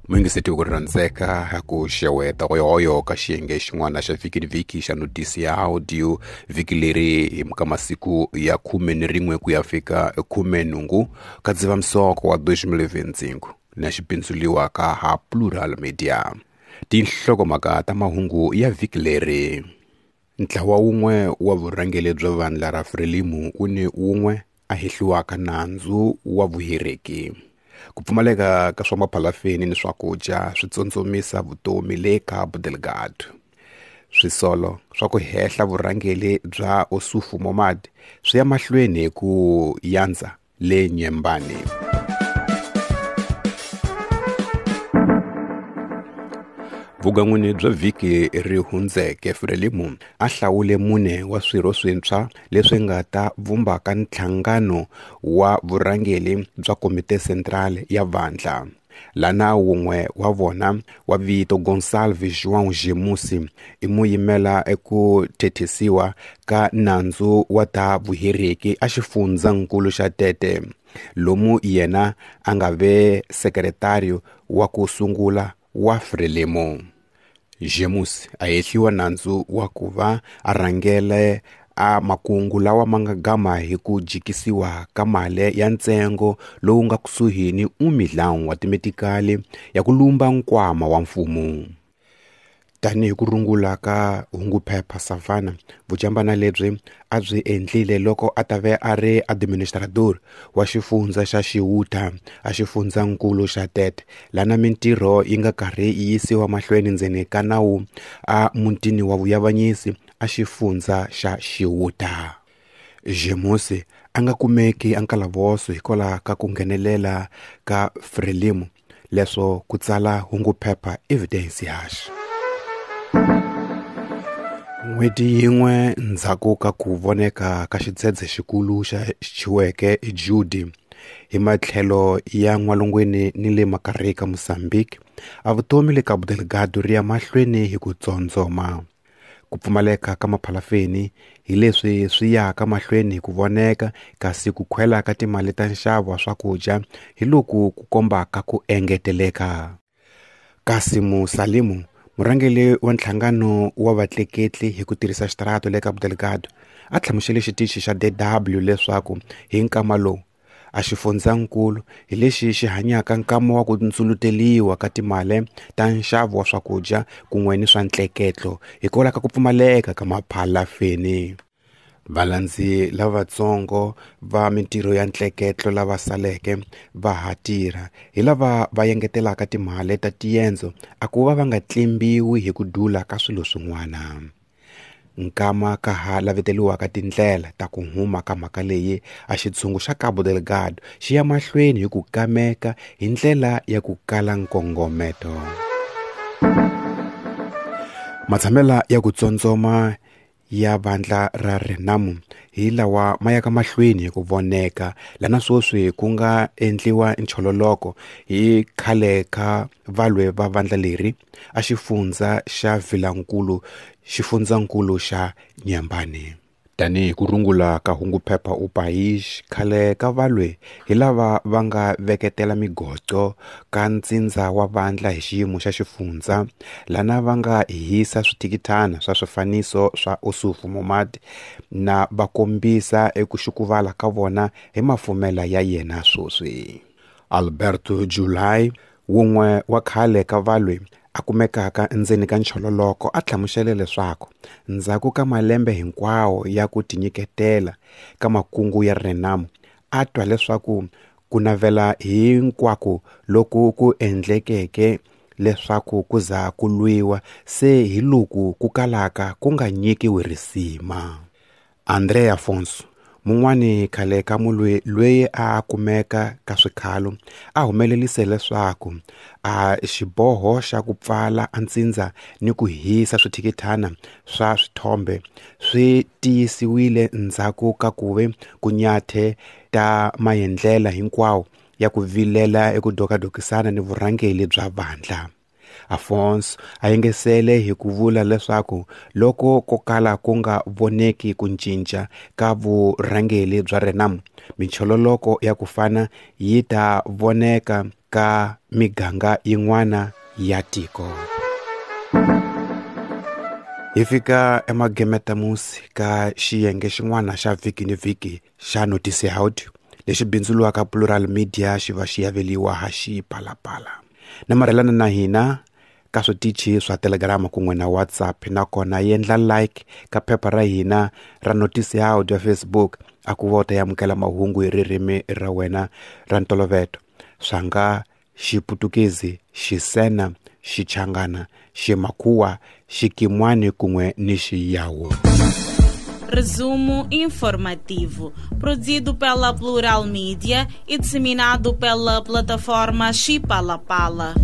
Muyingiseti ku rhandzeka ku xeweta hoyohoyo ka xiyenge xin'wana xa vhiki ni vhiki xa notisi ya audio vhiki leri hi ka masiku ya 11 ku ya fika 18 ka Dzivamisoko wa 2025 na xi pindzuriwa ka ha Plural Media. Tinhlokomhaka ta mahungu ya vhiki leri. Ntlawa wun'we wa vurhangeri bya vandla ra Frelimo wu ni wun'we a hehliwaka nandzu wa vuhereki. Ku pfumaleka ka swa maphalafeni ni swakudya swi tsotsomisa vutomi le Cabo Delgado. Swisolo swa ku hehla vurhangeri bya Ossufo Momad swi ya mahlweni hi ku yandza le Nyembani. Vugan'wini bya vhiki ri hundzeke Frelimo a hlawule mune wa swirho swintshwa leswi nga ta vumbaka nhlangano wa vurhangeri bya Komite Central ya vandla. Lana wun'we wa vona wa vito Gonçalves João Gemusi i muyimela eku thethisiwa ka nandzu wa ta vuhereki a xifundzankulu xa Tete, lomu yena a nga ve sekretario wa ku sungula wa Frelimo. Gemusi a hehliwa nandzu wa ku va a rhangele a makungu lawa ma nga gama hi ku jikisiwa ka mali ya ntsengo lowu nga kusuhi ni 1 milhão wa timetikali ya ku lumba nkwama wa mfumo. Tanihi ku rungula ka hunguphepha Savannah, vujambana lebyi a byi endlile loko a ta ve a ri administrador wa xifundza xa Xiwuta a xifundzankulu xa Tete, lana mintirho yi nga karhi yi yisiwa mahlweni ndzeni ka nawu a mutini wa vuyavanyisi a xifundza xa Xiwuta. Gemusi a nga kumeki a nkalavoso hikwalaho ka ku nghenelela ka Frelimo, leswo ku tsala hunguphepha Evidencias. N'hweti yin'we ndzhaku ka ku voneka ka xidzedze xikulu xa xiweke Judy hi matlhelo ya n'walungwini ni le makarhi ka Mozambique, a vutomi le Cabo Delgado ri ya mahlweni hi ku tsondzoma. Ku pfumaleka ka maphalafeni hi leswi swi yaka mahlweni hi ku voneka, kasi ku khwela ka timali ta nxavo wa swakudya hi loku ku kombaka ku engeteleka. Kasimu Salimu, murhangeri wa nhlangano wa vatleketli hi ku tirhisa xitarata le Cabo Delgado, a hlamusele xitichi xa DW leswaku hi nkama lowu a xifundzankulu hi lexi xi hanyaka nkama wa ku ndzuluteliwa ka timali ta nxavo wa swakudya kun'we ni swa ntleketlo hikwalaho ka ku pfumaleka ka maphalafeni. Valandzi lavatsongo va mintirho ya ntleketlo lava saleke va ha tirha hi lava va engetelaka timali ta tiendzo a ku va va nga tlimbiwi hi ku dula ka swilo swin'wana. Nkama ka ha laveteliwaka tindlela ta ku huma ka mhaka leyi, a xitshungu xa Cabo Delgado xi ya mahlweni hi ku kameka hi ndlela ya ku kala nkongometo. Matshamela ya ku tsondzoma ya vandla ra Renamo hi lawa ma yaka mahlweni hi ku voneka, lana sweswi ku nga endliwa nchololoko hi khale ka valwe va vandla leri a xifundza xa Vilankulu, xifundzankulu xa Nyembani. Tanihi ku rungula ka hunguphepha O País, khale ka valwe hi lava va nga veketela migoco ka ntsindza wa vandla hi xiyimo xa xifundza, lana va nga hisa swithikithana swa swifaniso swa Ossufo Momad na va kombisa eku xukuvala ka vona hi mafumela ya yena sweswi. Alberto July, wun'we wa khale ka valwe a kumekaka endzeni ka nchololoko, a hlamusele leswaku ndzhaku ka malembe hinkwawo ya ku tinyiketela ka makungu ya Renamo, a twa leswaku ku navela hinkwako loku ku endlekeke leswaku ku za ku lwiwa se hi loku ku kalaka ku nga nyikiwi risima. André Afonso, mun'wani khale ka mulwi loyi a kumeka ka swikhalo, a humelelise leswaku a xiboho xa ku pfala a ntsindza ni ku hisa swithikithana swa swithombe swi tiyisiwile ndzhaku ka ku ve ku nyathe ta maendlela hinkwawo ya ku vilela eku dokadokisana ni vurhangeri bya vandla. Afonso a yengesele hi ku vula leswaku loko ko kala ku nga voneki ku cinca ka vurhangeri bya Renamo, michololoko ya ku fana yi ta voneka ka miganga yin'wana ya tiko. Hi fika emagemetamusi ka xiyenge xin'wana xa vhiki ni vhiki xa Notice Audio lexi bindzuriwaka Plural Media xi va xi yaveliwa ha Xipalapala. Namarhelana na hina ka switichi swa Telegram kun'we na WhatsApp, nakona yendla like ka phepha ra hina ra Notice Audio ya Facebook a ku va u ta amukela mahungu hi ririmi ra wena ra ntolovelo swa nga Xiputukezi, Xisena, Xichangana, Ximakhuwa, Xikimwani kun'we ni Xiyawu. Resumo informativo, produzido pela Plural Mídia e disseminado pela plataforma Xipalapala.